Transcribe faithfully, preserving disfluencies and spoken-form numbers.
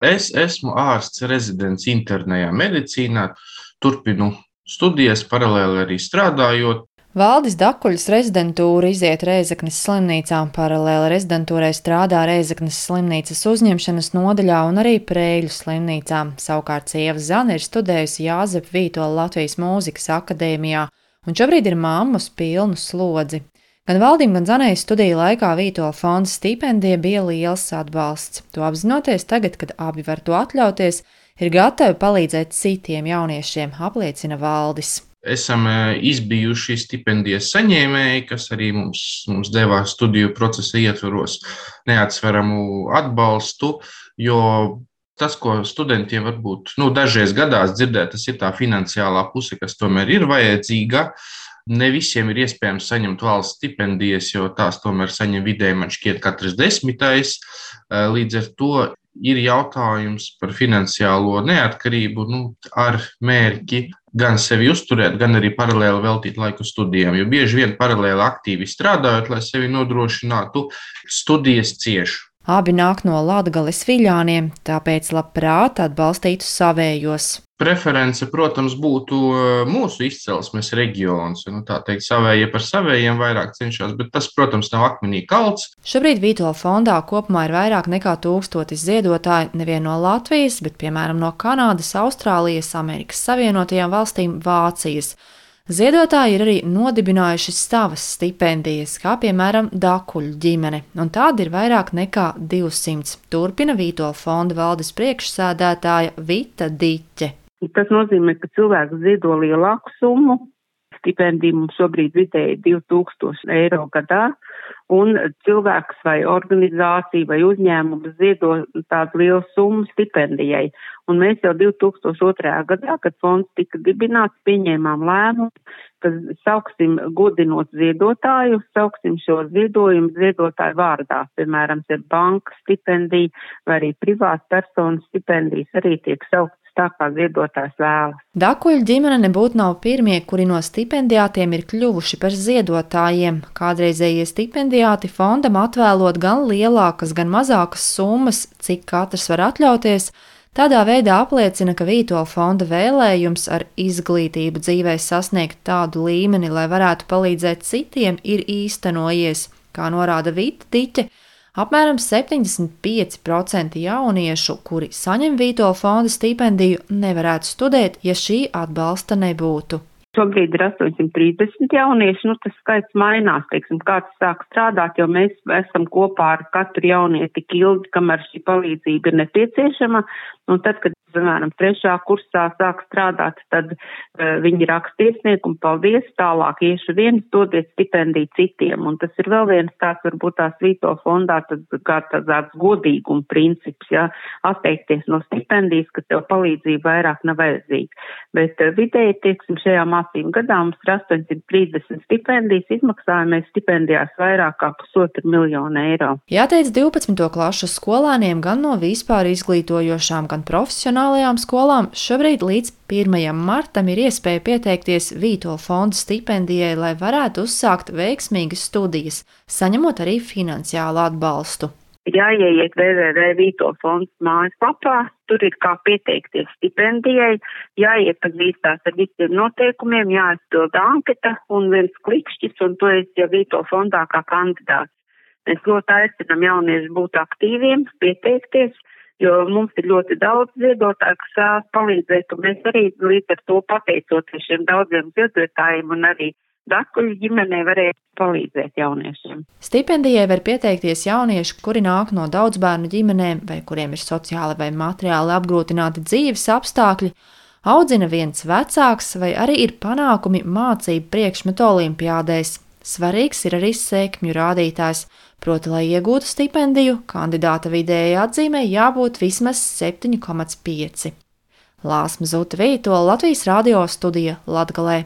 Es esmu ārsts rezidents internējā medicīnā, turpinu studijas, paralēli arī strādājot. Valdis Dakuļs rezidentūru iziet Rēzeknes slimnīcā, paralēli rezidentūrai strādā Rēzeknes slimnīcas uzņemšanas nodaļā un arī Prēļu slimnīcā. Savukārt sieva Zana ir studējusi Jāzepa Vītola Latvijas mūzikas akadēmijā un šobrīd ir mamma uz pilnu slodzi. Gan Valdim, gan Zanai studiju laikā Vītola fonda stipendija bija liels atbalsts. To apzinoties tagad, kad abi var to atļauties, ir gatavi palīdzēt citiem jauniešiem, apliecina Valdis. Esam izbijuši stipendijas saņēmēji, kas arī mums, mums deva studiju procesa ietvaros neatsveramu atbalstu, jo tas, ko studentiem varbūt nu, dažreiz gadās dzirdēt, tas ir tā finansiālā puse, kas tomēr ir vajadzīga. Ne visiem ir iespējams saņemt valsts stipendijas, jo tās tomēr saņem vidēji, man šķiet, katrs desmitais. Līdz ar to ir jautājums par finansiālo neatkarību, nu, ar mērķi gan sevi uzturēt, gan arī paralēli veltīt laiku studijām. Jo bieži vien paralēli aktīvi strādājot, lai sevi nodrošinātu, studijas cieš. Abi nāk no Latgales Viļāniem, tāpēc labprāt atbalstītu savējos. Preference, protams, būtu mūsu izcelsmes reģions. Nu, tā teikt, savējie par savējiem vairāk cenšas, bet tas, protams, nav akmenī kalts. Šobrīd Vītola fondā kopumā ir vairāk nekā tūkstotis ziedotāji nevien no Latvijas, bet piemēram no Kanādas, Austrālijas, Amerikas Savienotajām valstīm, Vācijas. Ziedotāji ir arī nodibinājuši savas stipendijas, kā piemēram Dakuļu ģimene, un tāda ir vairāk nekā divsimt. Turpina Vītola fonda valdes priekšsēdētāja Vita Diķe. Tas nozīmē, ka cilvēks ziedo lielāku summu. Stipendija mums šobrīd vidēji divi tūkstoši eiro gadā, un cilvēks vai organizācija vai uzņēmums ziedo tādu lielu summu stipendijai. Un mēs jau divi tūkstoši otrajā gadā, kad fonds tika dibināts, pieņēmām lēmumu, ka sauksim godinot ziedotāju, sauksim šo ziedojumu ziedotāju vārdā. Piemēram, ir banka stipendija vai arī privāta personas stipendijas arī tiek sauktas tā, kā ziedotājs vēlas. Dakuļu ģimene nebūtu nav pirmie, kuri no stipendijātiem ir kļuvuši par ziedotājiem. Kādreizējie stipendijāti fondam atvēlot gan lielākas, gan mazākas summas, cik katrs var atļauties. Tādā veidā apliecina, ka Vītola fonda vēlējums ar izglītību dzīvē sasniegt tādu līmeni, lai varētu palīdzēt citiem, ir īstenojies, kā norāda Vita Diķe. Apmēram septiņdesmit pieci procenti jauniešu, kuri saņem Vītola fonda stipendiju, nevarētu studēt, ja šī atbalsta nebūtu. Šobrīd ir astoņsimt trīsdesmit jaunieši, nu tas skaits mainās, teiksim, kāds sāk strādāt, jo mēs esam kopā ar katru jaunieti tik ilgi, kamēr šī palīdzība ir nepieciešama, un tad, kad, piemēram, trešā kursā sāk strādāt, tad uh, viņi raksta iesniegumu, paldies, tālāk iešu viens, dodiet stipendiju citiem, un tas ir vēl viens tāds, varbūt tās Vītola fondā, tad kā tāds godīguma princips, jā, atteikties no stipendijas, ka tev palīdzība vairāk nav vajadzīga, bet uh, vidēji, teiksim, šajā mācību gadā mums ir astoņsimt trīsdesmit stipendijas, izmaksājamies stipendijās vairāk kā pusotru miljonu eiro. Jāteic divpadsmito klašu skolēniem gan no vispār izglītojošām, gan profesionālajām skolām šobrīd līdz pirmajam martam ir iespēja pieteikties Vītola fonda stipendijai, lai varētu uzsākt veiksmīgas studijas, saņemot arī finansiālu atbalstu. Jāieiet w w w punkt Vītola fonds mājaslapā, tur ir kā pieteikties stipendijai, jāiepazīstās ar visiem noteikumiem, jāizpilda anketa un viens klikšķis, un to es jau Vītola fondā kā kandidāts. Mēs ļoti aicinām jaunieši būt aktīviem, pieteikties, jo mums ir ļoti daudz ziedotāju, kas vēlas palīdzēt, un mēs arī līdz ar to pateicoties šiem daudziem ziedotājiem un arī Dakuļu ģimenei varēja palīdzēt jauniešiem. Stipendijai var pieteikties jaunieši, kuri nāk no daudzbērnu ģimenēm vai kuriem ir sociāli vai materiāli apgrūtināti dzīves apstākļi, audzina viens vecāks vai arī ir panākumi mācību priekšmetu olimpiādēs. Svarīgs ir arī sekmju rādītājs, proti, lai iegūtu stipendiju, kandidāta vidējai atzīmei jābūt vismaz septiņi komats pieci. Lāsma Zuta Vītola, Latvijas radio studija Latgalē.